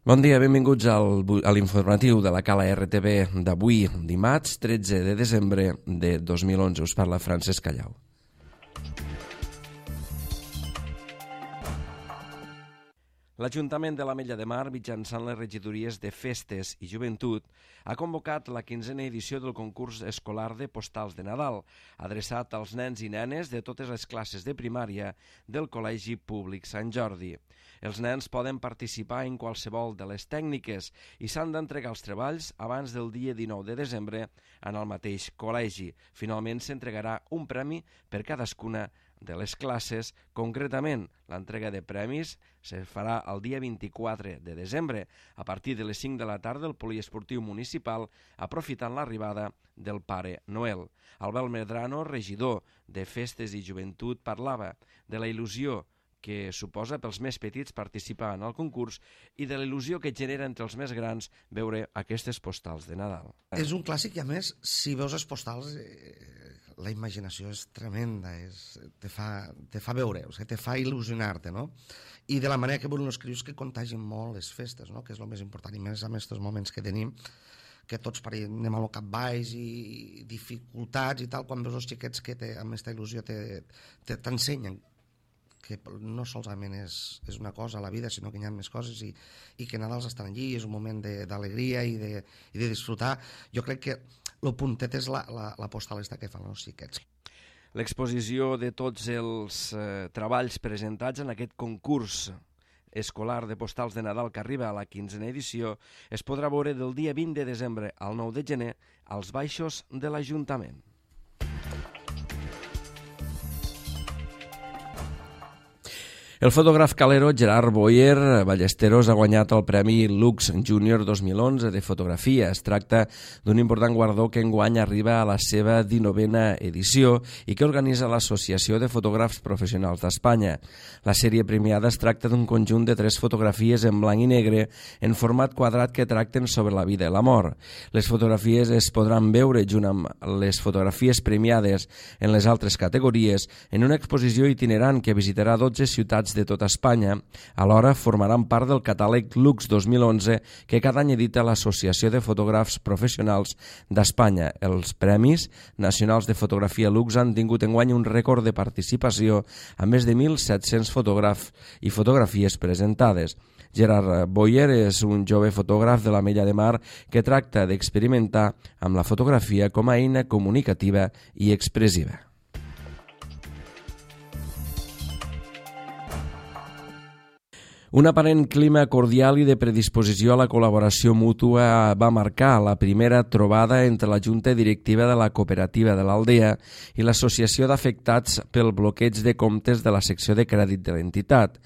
Bon dia, benvinguts a l'informatiu de la Cala RTV d'avui, dimarts 13 de desembre de 2011. Us parla Francesc Callau. L'Ajuntament de l'Ametlla de Mar, mitjançant les regidories de Festes i Joventut, ha convocat la 15a edició del concurs escolar de postals de Nadal, adreçat als nens i nenes de totes les classes de primària del Col·legi Públic Sant Jordi. Els nens poden participar en qualsevol de les tècniques i s'han d'entregar els treballs abans del dia 19 de desembre en el mateix col·legi. Finalment s'entregarà un premi per cadascuna de les classes. Concretament, l'entrega de premis se farà el dia 24 de desembre a partir de les 5 de la tarda al Poliesportiu Municipal, aprofitant l'arribada del Pare Noel. Albert Medrano, regidor de Festes i Joventut, parlava de la il·lusió que suposa pels més petits participar en el concurs i de la il·lusió que genera entre els més grans veure aquestes postals de Nadal. És un clàssic i, a més, si veus les postals, la imaginació és tremenda, te fa veure, te fa il·lusionar-te, no? I de la manera que volen els crios que contagin molt les festes, no? Que és el més important, i més en aquests moments que tenim, que tots anem al cap baix i dificultats i tal, quan veus els xiquets que amb aquesta il·lusió t'ensenyen que no solament és una cosa a la vida, sinó que hi ha més coses i que Nadal estan allí, és un moment d'alegria i de disfrutar. Jo crec que el puntet és la postal que fan els xiquets. L'exposició de tots els treballs presentats en aquest concurs escolar de postals de Nadal que arriba a la 15a edició es podrà veure del dia 20 de desembre al 9 de gener als baixos de l'Ajuntament. El fotògraf calero Gerard Boyer Ballesteros ha guanyat el Premi Lux Júnior 2011 de fotografia. Es tracta d'un important guardó que enguany arriba a la seva 19a edició i que organitza l'Associació de Fotògrafs Professionals d'Espanya. La sèrie premiada es tracta d'un conjunt de 3 fotografies en blanc i negre en format quadrat que tracten sobre la vida i la mort. Les fotografies es podran veure junt amb les fotografies premiades en les altres categories en una exposició itinerant que visitarà 12 ciutats de tota Espanya. Alhora formaran part del catàleg Lux 2011 que cada any edita l'Associació de Fotògrafs Professionals d'Espanya. Els Premis Nacionals de Fotografia Lux han tingut enguany un rècord de participació amb més de 1.700 fotògrafs i fotografies presentades. Gerard Boyer és un jove fotògraf de l'Ametlla de Mar que tracta d'experimentar amb la fotografia com a eina comunicativa i expressiva. Un aparent clima cordial i de predisposició a la col·laboració mútua va marcar la primera trobada entre la Junta Directiva de la Cooperativa de l'Aldea i l'Associació d'Afectats pel bloqueig de comptes de la secció de crèdit de l'entitat.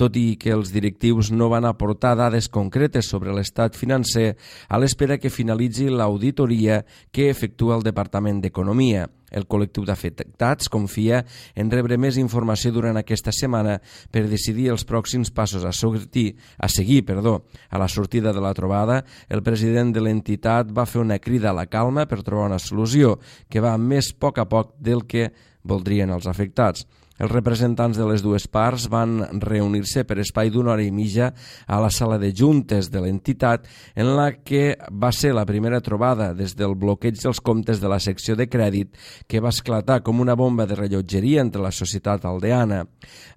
Tot i que els directius no van aportar dades concretes sobre l'estat financer, a l'espera que finalitzi l'auditoria que efectua el Departament d'Economia. El col·lectiu d'afectats confia en rebre més informació durant aquesta setmana per decidir els pròxims passos a seguir. A la sortida de la trobada, el president de l'entitat va fer una crida a la calma per trobar una solució que va més a poc del que voldrien els afectats. Els representants de les dues parts van reunir-se per espai d'una hora i mitja a la sala de juntes de l'entitat, en la que va ser la primera trobada des del bloqueig dels comptes de la secció de crèdit que va esclatar com una bomba de rellotgeria entre la societat aldeana.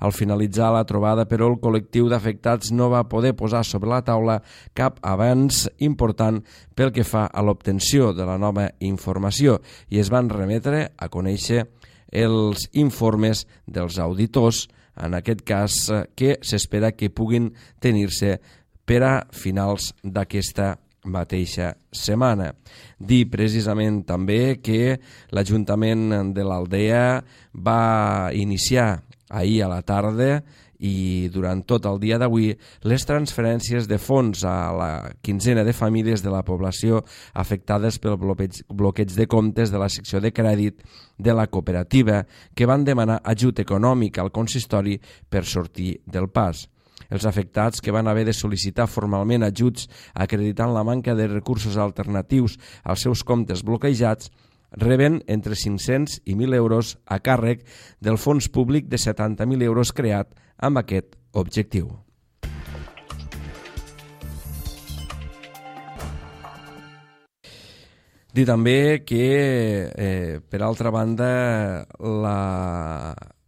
Al finalitzar la trobada, però, el col·lectiu d'afectats no va poder posar sobre la taula cap avanç important pel que fa a l'obtenció de la nova informació i es van remetre a conèixer els informes dels auditors, en aquest cas que s'espera que puguin tenir-se per a finals d'aquesta mateixa setmana. Dir precisament també que l'Ajuntament de l'Aldea va iniciar ahir a la tarda i durant tot el dia d'avui les transferències de fons a la 15a de famílies de la població afectades pel bloqueig de comptes de la secció de crèdit de la cooperativa que van demanar ajut econòmic al consistori per sortir del pas. Els afectats que van haver de sol·licitar formalment ajuts acreditant la manca de recursos alternatius als seus comptes bloquejats reben entre 500 i 1.000 euros a càrrec del fons públic de 70.000 euros creat amb aquest objectiu. Dir també que, per altra banda,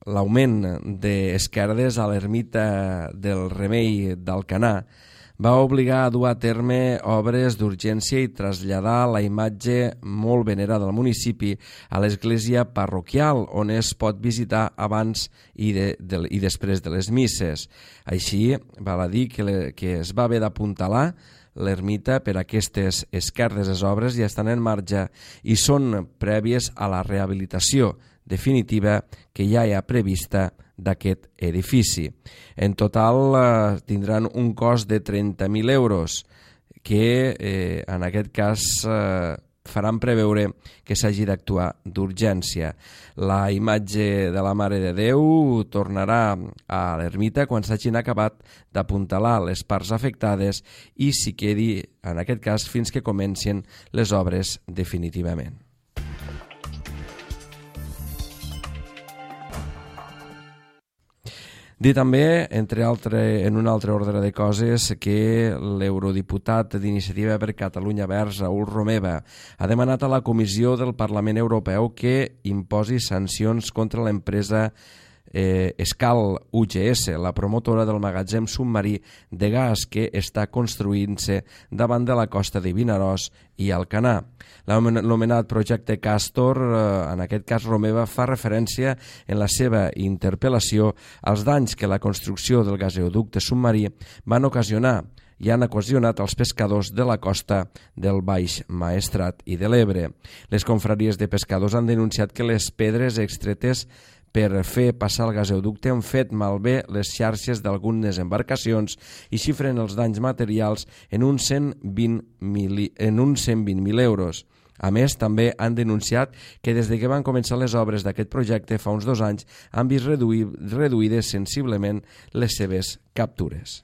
l'augment d'esquerdes a l'ermita del Remei d'Alcanar va obligar a dur a terme obres d'urgència i traslladar la imatge molt venerada del municipi a l'església parroquial, on es pot visitar abans i després de les misses. Així, val a dir que es va haver d'apuntalar l'ermita per aquestes esquerdes obres i estan en marxa i són prèvies a la rehabilitació definitiva que ja hi ha prevista d'aquest edifici. En total tindran un cost de 30.000 euros que en aquest cas faran preveure que s'hagi d'actuar d'urgència. La imatge de la Mare de Déu tornarà a l'ermita quan s'hagin acabat d'apuntalar les parts afectades i s'hi quedi, en aquest cas, fins que comencin les obres definitivament. Dir també, en un altre ordre de coses, que l'eurodiputat d'Iniciativa per Catalunya Verds, Raül Romeva, ha demanat a la Comissió del Parlament Europeu que imposi sancions contra l'empresa Escal UGS, la promotora del magatzem submarí de gas que està construint-se davant de la costa de Vinaròs i Alcanar. L'anomenat projecte Castor, en aquest cas Romeva, fa referència en la seva interpel·lació als danys que la construcció del gasoducte submarí van ocasionar i han ocasionat als pescadors de la costa del Baix Maestrat i de l'Ebre. Les confraries de pescadors han denunciat que les pedres extretes per fer passar el gasoducte han fet malbé les xarxes d'algunes embarcacions i xifren els danys materials en uns 120.000 euros. A més, també han denunciat que des que van començar les obres d'aquest projecte fa uns 2 anys han vist reduïdes sensiblement les seves captures.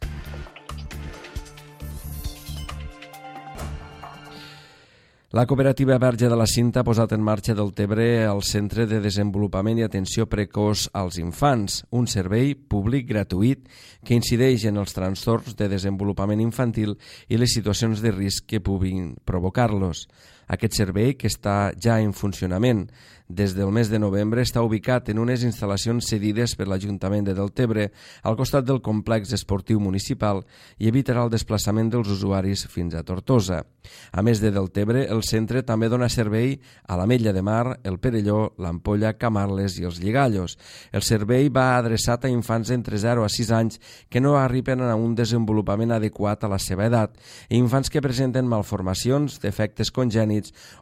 La cooperativa Verge de la Cinta ha posat en marxa del Tebre el Centre de Desenvolupament i Atenció Precoç als Infants, un servei públic gratuït que incideix en els trastorns de desenvolupament infantil i les situacions de risc que puguin provocar-los. Aquest servei, que està ja en funcionament des del mes de novembre, està ubicat en unes instal·lacions cedides per l'Ajuntament de Deltebre al costat del complex esportiu municipal i evitarà el desplaçament dels usuaris fins a Tortosa. A més de Deltebre, el centre també dona servei a l'Ametlla de Mar, el Perelló, l'Ampolla, Camarles i els Lligallos. El servei va adreçat a infants entre 0 a 6 anys que no arriben a un desenvolupament adequat a la seva edat i infants que presenten malformacions, defectes congènits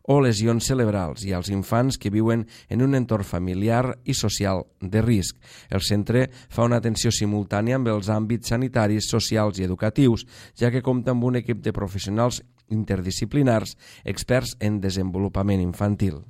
o lesions cerebrals i als infants que viuen en un entorn familiar i social de risc. El centre fa una atenció simultània amb els àmbits sanitaris, socials i educatius, ja que compta amb un equip de professionals interdisciplinars experts en desenvolupament infantil.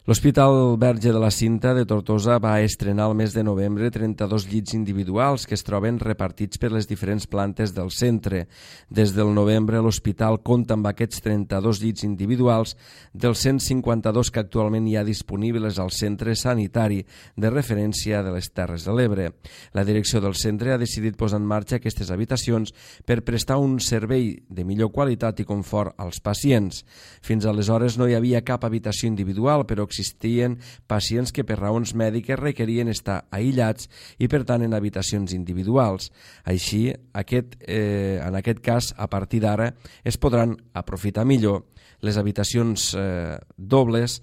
L'Hospital Verge de la Cinta de Tortosa va estrenar el mes de novembre 32 llits individuals que es troben repartits per les diferents plantes del centre. Des del novembre l'hospital compta amb aquests 32 llits individuals dels 152 que actualment hi ha disponibles al centre sanitari de referència de les Terres de l'Ebre. La direcció del centre ha decidit posar en marxa aquestes habitacions per prestar un servei de millor qualitat i confort als pacients. Fins aleshores no hi havia cap habitació individual, però existien pacients que per raons mèdiques requerien estar aïllats i per tant en habitacions individuals. Així, en aquest cas, a partir d'ara, es podran aprofitar millor les habitacions dobles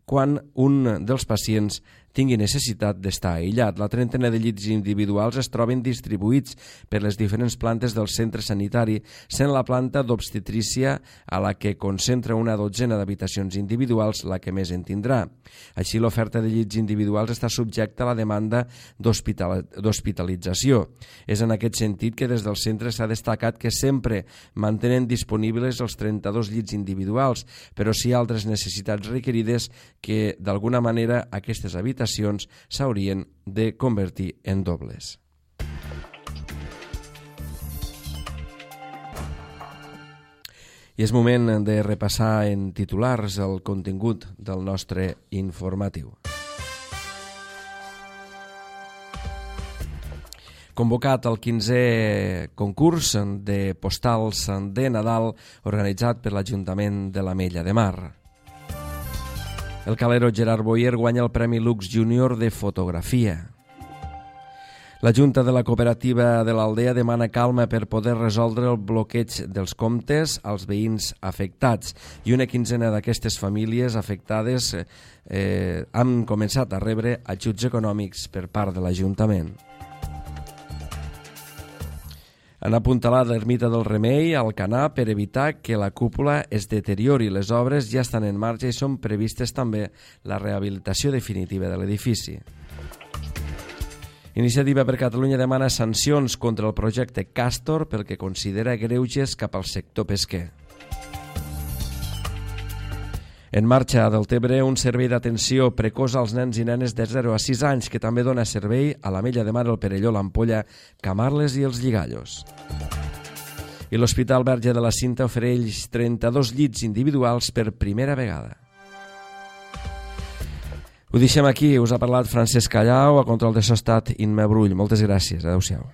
quan un dels pacients tingui necessitat d'estar aïllat. La trentena de llits individuals es troben distribuïts per les diferents plantes del centre sanitari, sent la planta d'obstetrícia, a la que concentra una dotzena d'habitacions individuals, la que més en tindrà. Així, l'oferta de llits individuals està subjecta a la demanda d'hospitalització. És en aquest sentit que des del centre s'ha destacat que sempre mantenen disponibles els 32 llits individuals, però sí altres necessitats requerides que, d'alguna manera, aquestes habitacions s'haurien de convertir en dobles. I és moment de repassar en titulars el contingut del nostre informatiu. convocat el 15è concurs de postals de Nadal organitzat per l'Ajuntament de l'Ametlla de Mar. El calero Gerard Boyer guanya el Premi Lux Júnior de fotografia. La Junta de la Cooperativa de l'Aldea demana calma per poder resoldre el bloqueig dels comptes als veïns afectats i una quinzena d'aquestes famílies afectades han començat a rebre ajuts econòmics per part de l'Ajuntament. Han apuntalat l'ermita del Remei a Alcanar per evitar que la cúpula es deteriori. Les obres ja estan en marxa i són previstes també la rehabilitació definitiva de l'edifici. Iniciativa per Catalunya demana sancions contra el projecte Castor pel que considera greuges cap al sector pesquer. En marxa a Deltebre un servei d'atenció precoç als nens i nenes de 0 a 6 anys que també dona servei a l'Ametlla de Mar, el Perelló, l'Ampolla, Camarles i els Lligallos. I l'Hospital Verge de la Cinta ofereix 32 llits individuals per primera vegada. Ho deixem aquí, us ha parlat Francesc Callau, a control de so estat Inma Brull. Moltes gràcies, adeu-siau.